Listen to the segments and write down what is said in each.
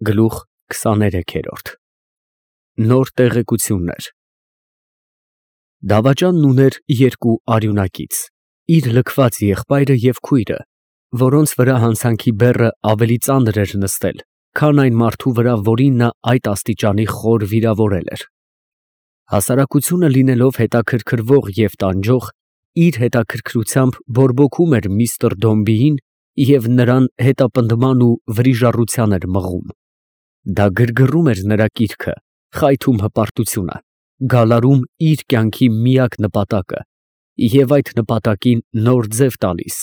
Գլուխ 23 Նոր տեղեկություններ Դավաճանն ուներ երկու արյունակից, իր լքված եղբայրը և քույրը, որոնց վրա հանցանքի բեռը ավելի ծանր էր նստել, քան այն մարդու վրա, որին նա այդ աստիճանի խոր վիրավորել էր։ Հասարակությունը լինելով հետաքրքրվող և տանջող, իր հետաքրքրությամբ բորբոքում էր միստր Դոմբիին և նրան հետապնդման ու վրիժառության էր մղում։ Դա գրգռում էր նրա կիրքը, խայթում հպարտությունը, գալարում իր կյանքի միակ նպատակը և այդ նպատակին նոր ձև տալիս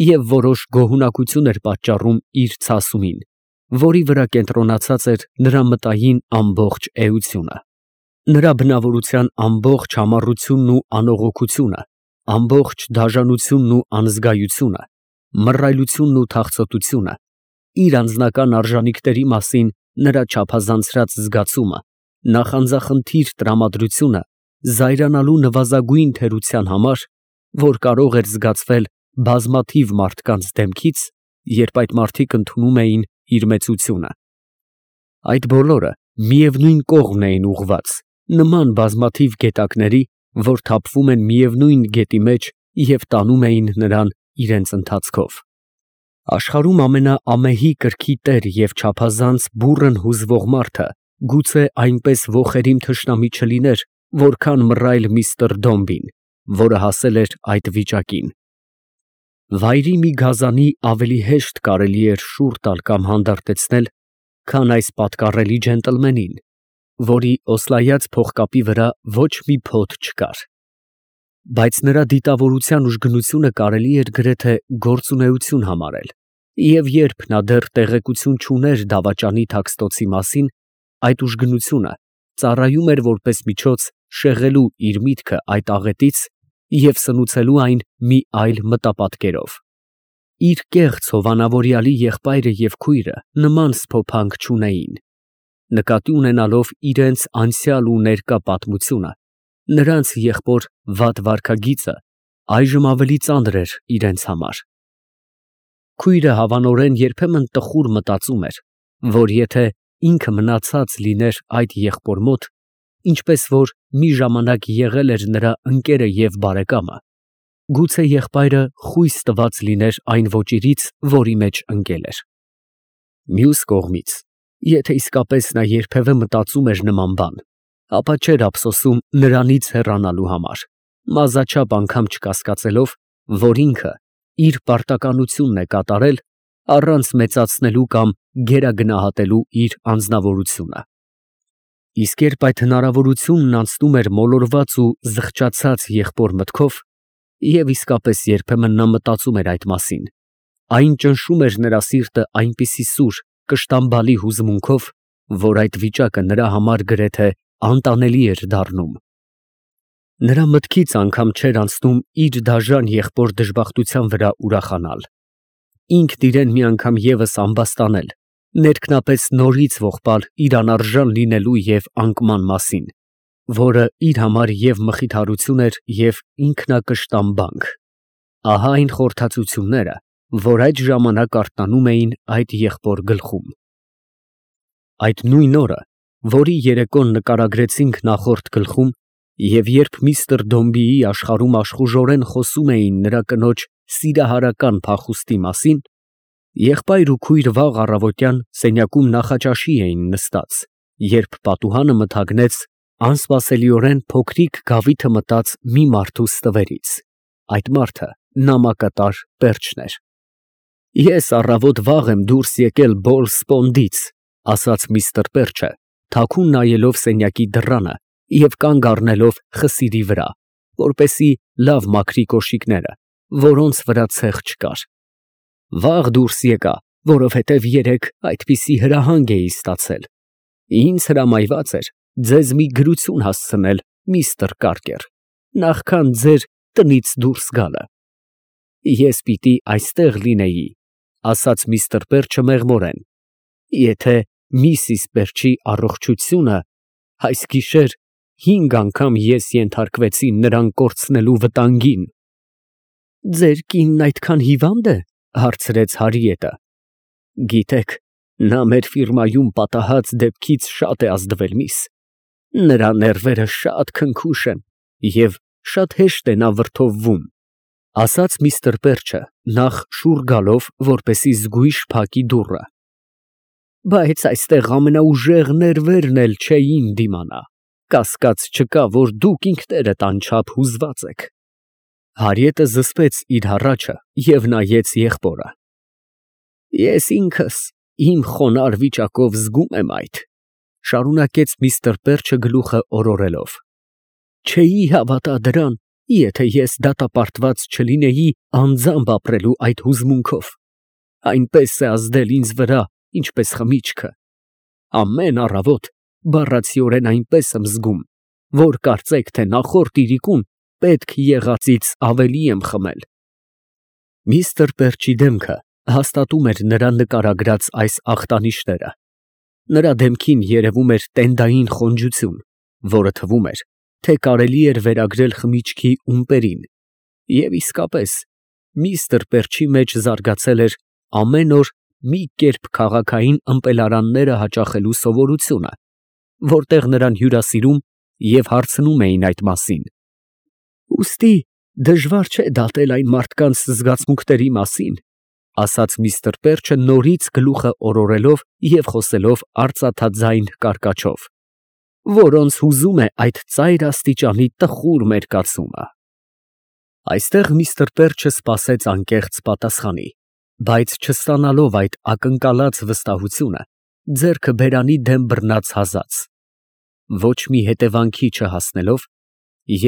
և որոշ գոհունակություն էր պատճառում իր ցասումին, որի վրա կենտրոնացած էր նրա մտային ամբողջ էությունը։ Նրա բնավորության ամբողջ համառությունն ու անողոքությունը, ամբողջ դաժանությունն ու անզգայությունը, մռայլությունն ու թախծոտությունը, իր անձնական արժանիքների մասին նրա չափազանցրած զգացումը, նախանձախնդիր տրամադրությունը զայրանալու նվազագույն թերության համար, որ կարող էր զգացվել բազմաթիվ մարդկանց դեմքից, երբ այդ մարդիկ ընդունում էին իր մեծությունը։ Այդ բոլորը միևնույն կողմն էին ուղղված, նման բազմաթիվ գետակների, որ թափվում են միևնույն գետի մեջ և տանում էին նրան իրենց ընթացքով։ Աշխարհում ամենաամեհի կրքի տեր և չափազանց բուռն հուզվող մարդը գուցե այնպես ոխերիմ թշնամի չլիներ, որքան մռայլ միստր Դոմբին, որը հասել էր այդ վիճակին։ Վայրի մի գազանի ավելի հեշտ կարելի էր շուռ տալ կամ հանդարտեցնել, քան այս պատկառելի ջենտլմենին, որի օսլայած փողկապի վրա ոչ մի փոթ չկար։ Բայց նրա դիտավորության ուժգնությունը կարելի էր գրեթե գործունեություն համարել, և երբ նա դեռ տեղեկություն չուներ դավաճանի թաքստոցի մասին, այդ ուժգնությունը ծառայում էր որպես միջոց շեղելու իր միտքը այդ աղետից և սնուցելու այն մի այլ մտապատկերով։ Իր կեղծ հովանավորյալի եղբայրը և քույրը նման սփոփանք չունեին։ Նկատի ունենալով իրենց անցյալ ու ներկա պատմությունը, նրանց եղբոր վատ վարքագիծը այժմ ավելի ծանր էր իրենց համար։ Քույրը հավանորեն երբեմն տխուր մտածում էր, որ եթե ինքը մնացած լիներ այդ եղբոր մոտ, ինչպես որ մի ժամանակ եղել էր նրա ընկերը և բարեկամը, գուցե եղբայրը խույս տված լիներ այն ոճիրից, որի մեջ ընկել էր։ Մյուս կողմից, եթե իսկապես նա երբևէ մտածում էր նման բան, ապա չէր ափսոսում նրանից հեռանալու համար, մազաչափ անգամ չկասկածելով, որ ինքը իր պարտականությունն է կատարել առանց մեծացնելու կամ գերագնահատելու իր անձնավորությունը։ Իսկ երբ այդ հնարավորությունն անցնում էր մոլորված ու զղջացած եղբոր մտքով, և իսկապես երբեմն նա մտածում էր այդ մասին, այն ճնշում էր նրա սիրտը այնպիսի սուր, կշտամբալի հուզմունքով, որ այդ վիճակը նրա համար գրեթե անտանելի էր դառնում։ Նրա մտքից անգամ չէր անցնում իր դաժան եղբոր դժբախտության վրա ուրախանալ, ինքն իրան մի անգամ ևս ամբաստանել, ներքնապես նորից ողբալ իր անարժան լինելու և անկման մասին, որը իր համար և մխիթարություն էր և ինքնակշտամբանք։ Ահա այն խորհրդածությունները, որ այդ ժամանակ արթնանում էին այդ եղբոր գլխում։ Այդ նույն օրը, որի երեկոն նկարագրեցինք նախորդ գլխում, և երբ միստր Դոմբիի աշխարհում աշխուժորեն խոսում էին նրա կնոջ սիրահարական փախուստի մասին, եղբայր ու քույր վաղ առավոտյան սենյակում նախաճաշի էին նստած, երբ պատուհանը մթագնեց անսպասելիորեն փոքրիկ գավիթը մտած մի մարդու ստվերից։ Այդ մարդը նամակատար Պերճն էր։ «Ես առավոտ վաղ եմ դուրս եկել Բոլսպոնդից», ֊ ասաց միստր Պերճը, թաքուն նայելով սենյակի դռանը և կանգ առնելով խսիրի վրա, որպեսզի լավ մաքրի կոշիկները, որոնց վրա ցեխ չկար։ «Վաղ դուրս եկա, որովհետև երեկ այդպիսի հրահանգ էի ստացել։ Ինձ հրամայված էր ձեզ մի գրություն հասցնել, միստր Կարկեր, նախքան ձեր տնից դուրս գալը։ Ես պիտի այստեղ լինեի, ֊ ասաց միստր Պերճը մեղմորեն, ֊ եթե միսիս Պերճի առողջությունը, այս գիշեր 5 անգամ ես ենթարկվեցի նրան կորցնելու վտանգին։ ֊ Ձեր կինն այդքան հիվա՞նդ է, ֊ հարցրեց Հարիետը։ ֊ Գիտեք, Նա մեր ֆիրմայում պատահած դեպքից շատ է ազդվել, միս։ Նրա ներվերը շատ քնքուշ են և շատ հեշտ է նա վրդովվում, ասաց միստր Պերչը, նախ շուռ գալով, որպեսզի զգույշ փակի դուռը։ Բայց այստեղ ամենաուժեղ ներվերն էլ չէին դիմանա։ Կասկած չկա, որ դուք ինքներդ անչափ հուզված եք։ Հարիետը զսպեց իր հառաչը և նայեց եղբորը։ Ես ինքս իմ խոնարհ վիճակով զգում եմ այդ, շարունակեց միստր Պերչը գլուխը օրորելով։ Չէի հավատա դրան, եթե ես դատապարտված չլինեի անձամբ ապրելու այդ հուզմունքով։ Այնպես է ազդել ինձ վրա, ինչպես խմիչքը։ Ամեն առավոտ բառացիորեն այնպես եմ զգում, որ կարծեք թե նախորդ իրիկուն պետք եղածից ավելի եմ խմել։ Միստր Պերչի դեմքը հաստատում էր նրա նկարագրած այս ախտանիշները։ Նրա դեմքին երևում էր տենդային խոնջություն, որը թվում էր, թե կարելի էր վերագրել խմիչքի ումպերին։ Եվ իսկապես, միստր Պերչի մեջ զարգացել էր ամեն օր մի կերպ քաղաքային ըմպելարանները հաճախելու սովորությունը, որտեղ նրան հյուրասիրում և հարցնում էին այդ մասին։ Ուստի դժվար չէ դատել այն մարդկանց զգացմունքների մասին, ասաց միստր Պերչը նորից գլուխը օրորելով և խոսելով արծաթաձայն կարկաչով, որոնց հուզում է այդ ծայր աստիճանի տխուր մերկացումը։ Այստեղ միստր Պերչը սպասեց անկեղծ պատասխանի, բայց չստանալով այդ ակնկալած վստահությունը, ձեռքը բերանի դեմ բռնած հազաց։ Ոչ մի հետևանքի չհասնելով,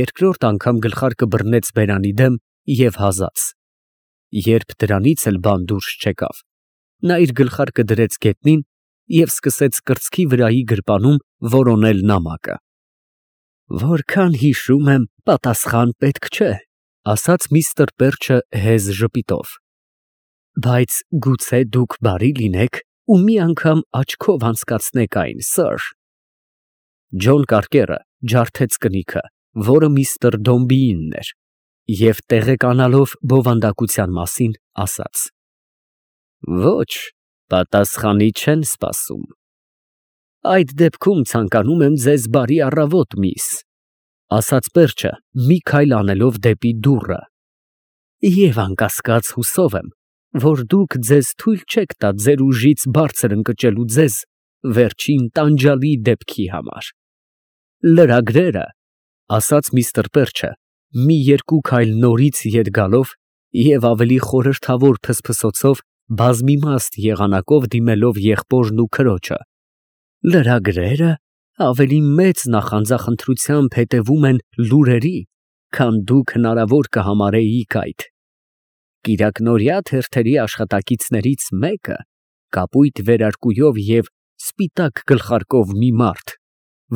երկրորդ անգամ գլխարկը բռնեց բերանի դեմ և հազաց։ Երբ դրանից էլ բան դուրս չեկավ, նա իր գլխարկը դրեց գետնին և սկսեց կրծքի վրայի գրպանում որոնել նամակը։ Որքան հիշում եմ, պատասխան պետք չէ, ասաց միստր Պերչը հեզ ժպիտով։ Բայց գուցե դուք բարի լինեք ու մի անգամ աչքով անցկացնեք այն, սըր։ Ջոն Կարկերը ջարդեց կնիքը, որը միստր Դոմբիինն էր, և տեղեկանալով բովանդակության մասին, ասաց. Ոչ, պատասխանի չեն սպասում։ Այդ դեպքում ցանկանում եմ ձեզ բարի առավոտ, միս, ասաց Պերչը, մի քայլ անելով դեպի դուռը, և անկասկած հուսով եմ, որ դուք ձեզ թույլ չեք տա ձեր ուժից բարձր ընկճելու ձեզ վերջին տանջալի դեպքի համար։ Լրագրերը, ասաց միստր Պերչը, մի երկու քայլ նորից ետ գալով և ավելի խորհրդավոր փսփսոցով բազմիմաստ եղանակով դիմելով եղբորն ու քրոջը, լրագրերը ավելի մեծ նախանձախնդրությամբ հետևում են լուրերի, քան դուք հնարավոր կհամարեիք այդ։ Կիրակնօրյա թերթերի աշխատակիցներից մեկը կապույտ վերարկուով և սպիտակ գլխարկով մի մարդ,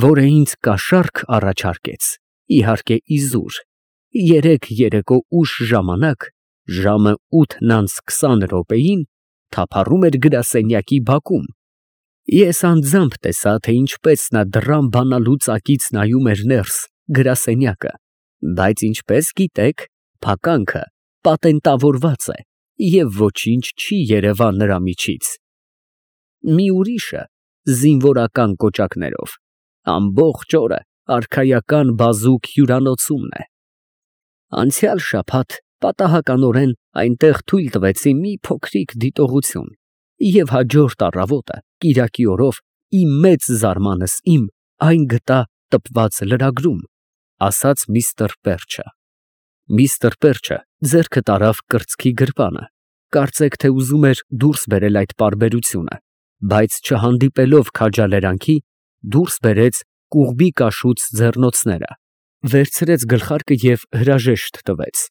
որը ինձ կաշառք առաջարկեց, իհարկե իզուր, երեկ երեկո ուշ ժամանակ, ժամը 8:20 թափառում էր գրասենյակի բակում։ Ես անձամբ տեսա, թե ինչպես նա դռան բանալուծակից նայում էր ներս գրասենյակը, բայց ինչպես գիտեք, փականքը պատենտավորված է և ոչինչ չի երևա նրա միջից։ Մի ուրիշը զինվորական կոճակներով ամբողջ օրը արքայական բազուկ հյուրանոցումն է։ Անցյալ շաբաթ պատահականորեն այնտեղ թույլ տվեցի մի փոքրիկ դիտողություն և հաջորդ առավոտը կիրակի օրով ի մեծ զարմանս իմ այն գտա տպված լրագրում, ասաց միստր Պերչը։ Միստր Պերչը ձեռքը տարավ կրծքի գրպանը, կարծեք թե ուզում էր դուրս բերել այդ պարբերությունը, բայց չհանդիպելով քաջալերանքի, դուրս բերեց կուղբի կաշուց ձեռնոցները, վերցրեց գլխարկը և հրաժեշտ տվեց։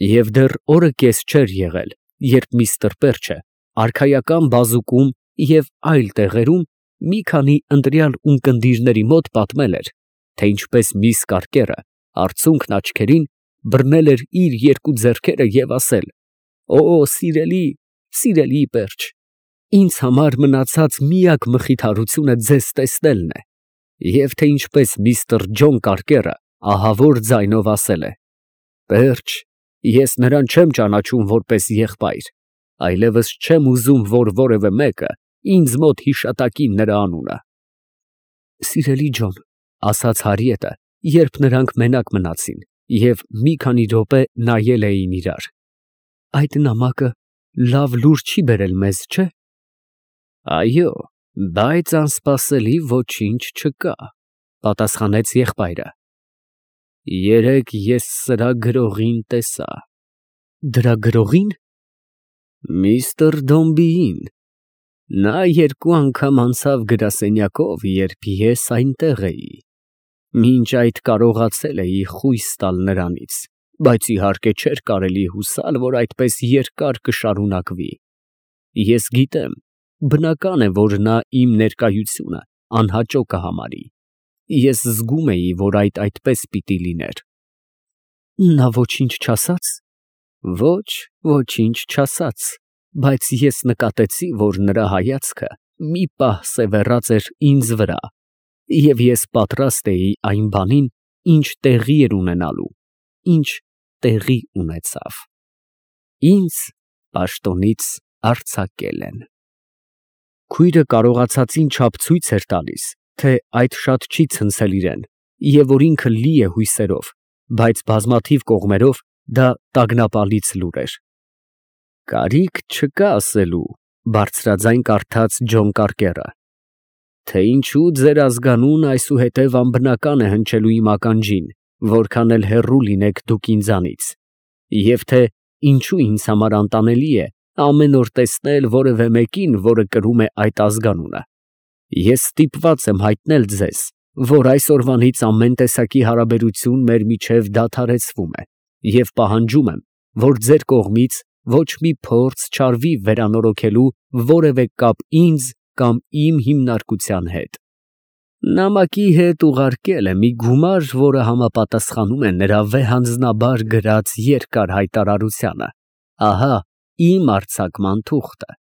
Եվ դեռ օրը կես չէր եղել, երբ միստր Պերչը արքայական բազուկում և այլ տեղերում մի քանի ընտրյալ ունկնդիրների մոտ պատմել էր, թե ինչպես միս Կարկերը արցունքն աչքերին բռնել էր իր երկու ձեռքերը և ասել. «Օ, սիրելի, սիրելի Պերճ, ինձ համար մնացած միակ մխիթարությունը ձեզ տեսնելն է», և թե ինչպես միստր Ջոն Կարկերը ահավոր ձայնով ասել է. «Պերճ, ես նրան չեմ ճանաչում որպես եղբայր, այլևս չեմ ուզում, որ որևէ մեկը ինձ մոտ հիշատակին նրա անունը։ Սիրելի Ջոն, ասաց Հարիետը, երբ նրանք մենակ մնացին և մի քանի րոպե նայել էին իրար, այդ նամակը լավ լուր չի բերել մեզ, չէ՞։ Այո, բայց անսպասելի ոչինչ չկա, պատասխանեց եղբայրը։ Երեկ ես սրա գրողին տեսա։ Դրա գրողի՞ն։ Միսթր Դոմբիին։ Նա երկու անգամ անցավ գրասենյակով, երբ ես այնտեղ էի։ Մինչ այդ կարողացել էի խույս տալ նրանից, բայց իհարկե չէր կարելի հուսալ, որ այդպես երկար կշարունակվի։ Ես գիտեմ, բնական է, որ նա իմ ներկայությունը անհաճո կհամարի։ Ես զգում էի, որ այդպես պիտի լիներ։ Նա ոչինչ չասաց։ Ոչ, ոչինչ չասաց, բայց ես նկատեցի, որ նրա հայացքը մի պահ սևեռած էր ինձ վրա, և ես պատրաստ էի այն բանին, ինչ տեղի էր ունենալու, ինչ տեղի ունեցավ։ Ինձ պաշտոնից արձակել են։ Քույրը կարողացածին չափ ցույց էր տալիս, թե այդ շատ չի ցնցել իրան, և որ ինքը լի է հույսերով, բայց բազմաթիվ կողմերով դա տագնապալից լուր էր։ Կարիք չկա ասելու, բարձրաձայն կարդաց Ջոն Կարկերը, թե ինչու ձեր ազգանունը այսուհետև անբնական է հնչելու իմ ականջին, որքան էլ հեռու լինեք դուք ինձանից, և թե ինչու ինձ համար անտանելի է ամեն օր տեսնել որևէ մեկին, որը կրում է այդ ազգանունը։ Ես ստիպված եմ հայտնել ձեզ, որ այսօրվանից ամեն տեսակի հարաբերություն մեր միջև դադարեցվում է, և պահանջում եմ, որ ձեր կողմից ոչ մի փորձ չարվի վերանորոգելու որևէ կապ ինձ կամ իմ հիմնարկության հետ։ Նամակի հետ ուղարկել է մի գումար, որը համապատասխանում է նրա վեհանձնաբար գրած երկար հայտարարությանը։ Ահա իմ արձակման թուղթը։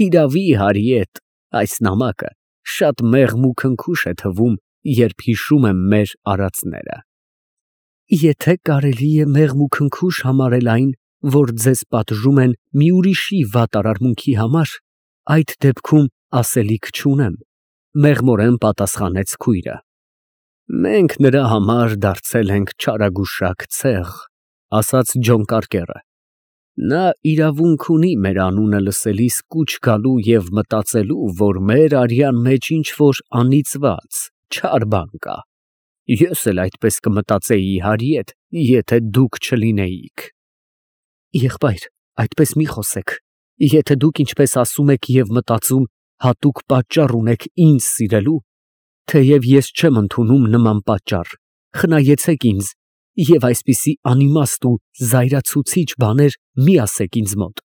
Հիրավի, Հարիետ, այս նամակը շատ մեղմ ու քնքուշ է թվում, երբ հիշում եմ մեր արածները։ Եթե կարելի է մեղմ ու քնքուշ համարել այն, որ ձեզ պատժում են մի ուրիշի վատ արարմունքի համար, այդ դեպքում ասելիք չունեմ, մեղմորեն պատասխանեց քույրը։ Մենք նրա համար դարձել ենք չարագուշակ ցեղ, ասաց Ջոն Կարկերը։ Նա իրավունք ունի մեր անունը լսելիս կուչ գալու և մտածելու, որ մեր արյան մեջ ինչ-որ անիծված, չար բան կա։ Ես էլ այդպես կմտածեի, Հարիետ, եթե դուք չլինեիք։ Եղբայր, այդպես մի խոսեք։ Եթե դուք ինչպես ասում եք և մտածում, հատուկ պատճառ ունեք ինձ սիրելու, թեև ես չեմ ընդունում նման պատճառ, խնայեցեք ինձ և այսպիսի անիմաստ ու զայրացուցիչ բաներ մի ասեք ինձ մոտ։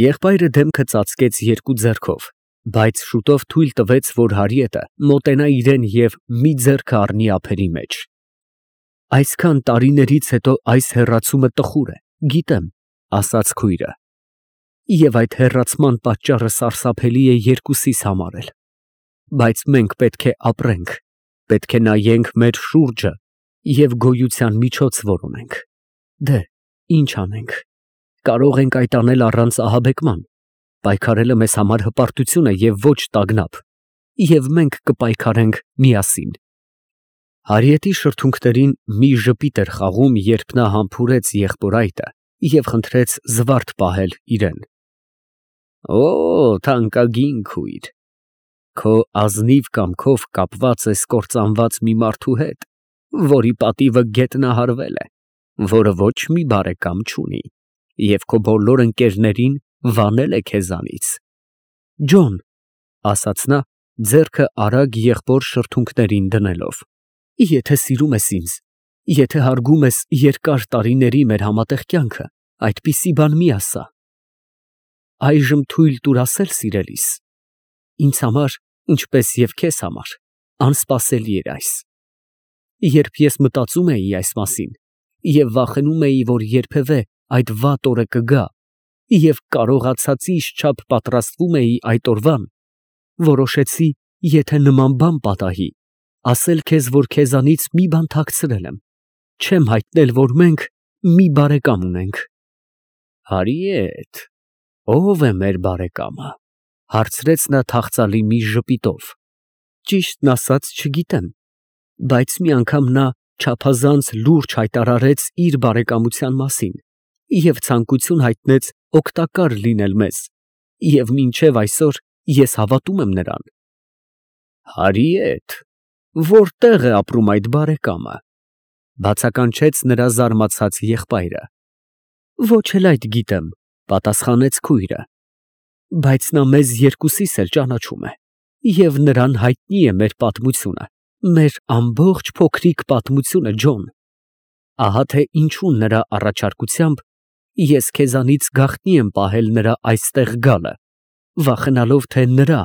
Եղբայրը դեմքը ծածկեց երկու ձեռքով, բայց շուտով թույլ տվեց, որ Հարիետը մոտենա իրան և մի ձեռքը առնի ափերի մեջ։ Այսքան տարիներից հետո այս հեռացումը տխուր է, գիտեմ, ասաց քույրը, և այդ հեռացման պատճառը սարսափելի է երկուսիս համար էլ, բայց մենք պետք է ապրենք, պետք է նայենք մեր շուրջը և գոյության միջոց որոնենք։ Դե, ինչ անենք, կարող ենք այդ անել առանց ահաբեկման, պայքարելը մեզ համար հպարտություն է և ոչ տագնապ, և մենք կպայքարենք միասին։ Հարիետի շրթունքներին մի ժպիտ էր խաղում, երբ նա համբուրեց եղբորայտը և խնդրեց զվարթ պահել իրան։ Օ, թանկագին քույր, քո ազնիվ կամքով կապված ես կործանված մի մարդու հետ, որի պատիվը գետնահարվել է, որը ոչ մի բարեկամ չունի, և քո բոլոր ընկերներին վանել է քեզանից։ Ջոն, ասաց նա, ձեռքը արագ եղբոր շրթունքներին դնելով, եթե սիրում ես ինձ, եթե հարգում ես երկար տարիների մեր համատեղ կյանքը, այդպիսի բան մի ասա։ Այժմ թույլ տուր ասել սիրելիս։ Ինձ համար, ինչպես և քեզ համար, անսպասելի էր այս։ Երբ ես մտածում էի այս մասին և վախենում էի, որ երբևէ այդ վատ օրը կգա, և կարողացածիս չափ պատրաստվում էի այդ օրվան, որոշեցի, եթե նման բան պատահի, ասել քեզ, որ քեզանից մի բան թաքցրել եմ, չեմ հայտնել, որ մենք մի բարեկամ ունենք։ Հարիետ, ո՞վ է մեր բարեկամը։ Հարցրեց նա թախծալի մի ժպիտով։ Ճիշտն ասած չգիտեմ, բայց մի անգամ նա չափազանց լուրջ հայտարարեց իր բարեկամության մասին և ցանկություն հայտնեց օգտակար լինել մեզ, և մինչև այսօր ես հավատում եմ նրան։ Հարիետ, որտե՞ղ է ապրում այդ բարեկամը, բացականչեց նրա զարմացած եղբայրը։ Ոչ էլ այդ գիտեմ, պատասխանեց քույրը, բայց նա մեզ երկուսիս էլ ճանաչում է, և նրան հայտնի է մեր պատմությունը, մեր ամբողջ փոքրիկ պատմությունը, Ջոն։ Ահա թե ինչու նրա առաջարկությամբ ես քեզանից գաղտնի եմ պահել նրա այստեղ գալը, վախենալով, թե նրա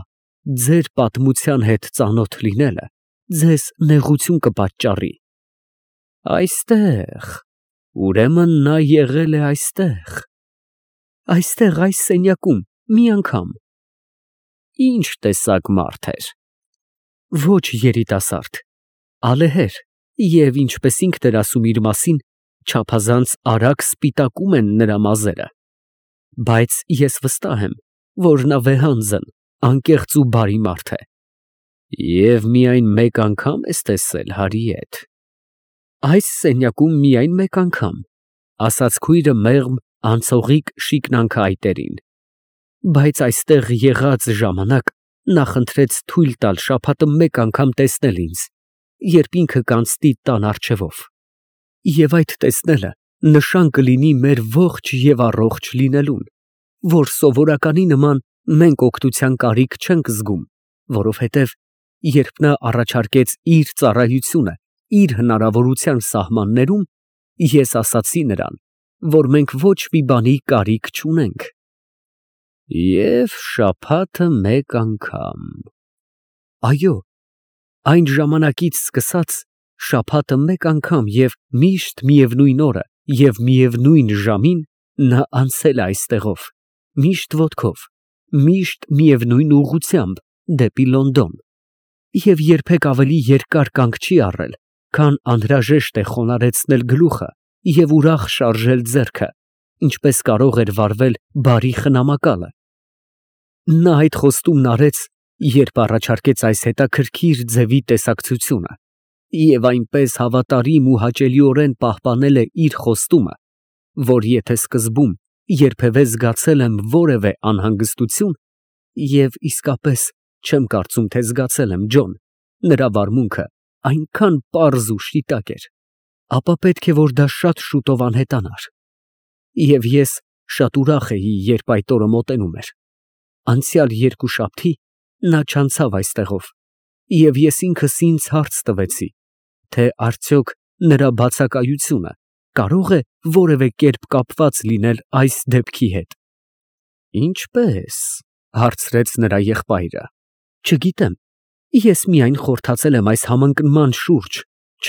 ձեր պատմության հետ ծանոթ լինելը ձեզ նեղություն կպատճառի։ Այստեղ, ուրեմն նա եղել է այստեղ։ Այստեղ, այս սենյակում, մի անգամ։ Ինչ տեսակ մարդ էր։ Ոչ երիտասարդ, ալեհեր, և ինչպես ինքն էր ասում իր մասին, չափազանց արագ սպիտակում են նրա մազերը, բայց ես վստահ եմ, որ նա վեհանձն, անկեղծ ու բարի մարդ է։ Եվ միայն մեկ անգամ ես տեսել Հարիետ։ Այս սենյակում միայն մեկ անգամ, ասաց քույրը մեղմ անցողիկ շիկնանքայտերին, բայց այստեղ եղած ժամանակ նա խնդրեց թույլ տալ շաբաթը մեկ անգամ տեսնել ինձ, երբ ինքը կանցնի տան առջևով, և այդ տեսնելը նշան կլինի մեր ողջ և առողջ լինելուն, որ սովորականի նման մենք օգնության կարիք չենք զգում, որովհետև երբ նա առաջարկեց իր ծառայությունը իր հնարավորության սահմաններում, ես ասացի նրան, որ մենք ոչ մի բանի կարիք չունենք։ Եվ շաբաթը մեկ անգամ։ Այո, այն ժամանակից սկսած շաբաթը մեկ անգամ և միշտ միևնույն օրը և միևնույն ժամին նա անցել է այստեղով, միշտ ոտքով, միշտ միևնույն ուղղությամբ դեպի Լոնդոն, և երբեք ավելի երկար կանգ չի առել, քան անհրաժեշտ է խոնարհեցնել գլուխը և ուրախ շարժել ձեռքը, ինչպես կարող էր վարվել բարի խնամակալը։ Նա այդ խոստումն արեց, երբ առաջարկեց այս հետաքրքիր ձևի տեսակցությունը, և այնպես հավատարիմ ու հաճելիորեն պահպանել է իր խոստումը, որ եթե սկզբում երբևէ զգացել եմ որևէ անհանգստություն, և իսկապես չեմ կարծում, թե զգացել եմ, Ջոն, նրա վարմունքը այնքան պարզ ու շիտակ էր, ապա պետք է որ դա շատ շուտով անհետանար։ Եվ ես շատ ուրախ էի, երբ այդ օրը մոտենում էր։ Անցյալ երկուշաբթի նա չանցավ այստեղով, և ես ինքս ինձ հարց տվեցի, թե արդյոք նրա բացակայությունը կարող է որևէ կերպ կապված լինել այս դեպքի հետ։ Ինչպե՞ս, հարցրեց նրա եղբայրը։ Չգիտեմ, ես միայն խորթացել եմ այս համընկնման շուրջ,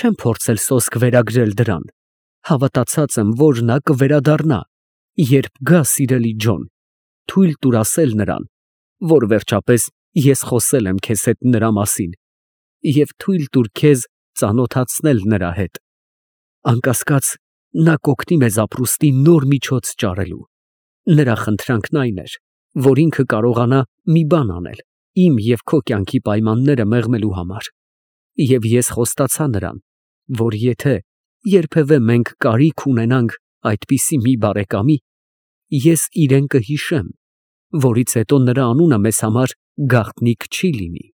չեմ փորձել սոսկ վերագրել դրան, հավատացած եմ, որ նա կվերադառնա, երբ գա, սիրելի Ջոն, թույլ տուր ասել նրան, որ վերջապես ես խոսել եմ քեզ հետ նրա մասին, և թույլ տուր քեզ ծանոթացնել նրա հետ։ Անկասկած, նա կօգնի մեզ ապրուստի նոր միջոց ճարելու։ Նրա խնդրանքն այն էր, որ ինքը կարողանա մի բան անել իմ և քո կյանքի պայմանները մեղմելու համար, և ես խոստացա նրան, որ եթե երբևէ մենք կարիք ունենանք այդպիսի մի բարեկամի, ես իրեն կհիշեմ, որից հետո նրա անունը մեզ համար գաղտնիք չի լինի։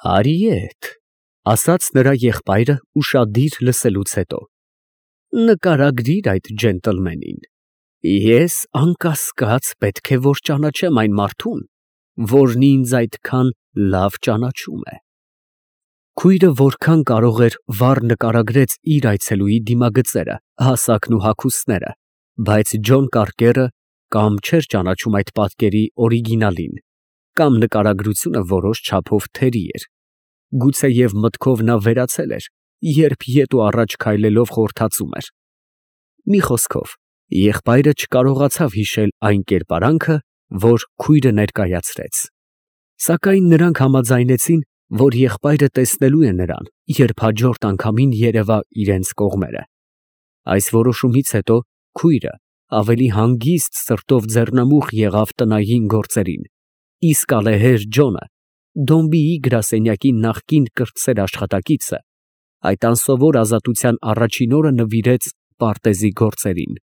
Հարիետ, ասաց նրա եղբայրը ուշադիր լսելուց հետո, նկարագրիր այդ ջենտլմենին։ Ես անկասկած պետք է որ ճանաչեմ այն մարդուն, որն ինձ այդքան լավ ճանաչում է։ Քույրը որքան կարող էր վառ նկարագրեց իր այցելուի դիմագծերը, հասակն ու հագուստները, բայց Ջոն Կարկերը կամ չէր ճանաչում այդ պատկերի օրիգինալին, կամ նկարագրությունը որոշ չափով թերի էր։ Գուցեև մտքով նա վերացել էր, երբ ետ ու առաջ քայլելով խորթացում էր։ Մի խոսքով, եղբայրը չկարողացավ հիշել այն կերպարանքը, որ քույրը ներկայացրեց։ Սակայն նրանք համաձայնեցին, որ եղբայրը տեսնելու է նրան, երբ հաջորդ անգամին երևա իրենց կողմերը։ Այս որոշումից հետո քույրը ավելի հանգիստ սրտով ձեռնամուխ եղավ տնային գործերին իսկ ալեհեր Ջոնը, Դոմբիի գրասենյակի նախկին կրտսեր աշխատակիցը, այդ անսովոր ազատության առաջին օրը նվիրեց պարտեզի գործերին։